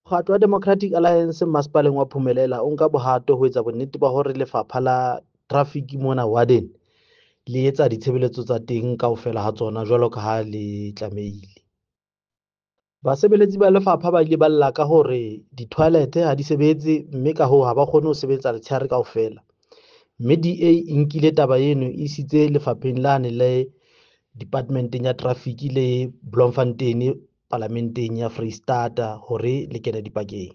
Mokgatlo wa Democratic Alliance masepaleng wa Phumelela o nka bohato ho etsa bonnete ba hore lefapha la traffic mona warden le etsa ditshebeletso tsa teng kaofela ha tsona jwalo ka ha le tlamehile. Basebeletsi ba lefapha ba ile ba lla ka hore di-toilet ha di sebetse, mme ka hoo ha ba kgone ho sebetsa letshehare kaofela. Mme DA e nkile taba eno e isitse lefapheng lane le department-eng ya traffic le Bloemfontein palamenteng ya Freistata hore le kene dipakeng.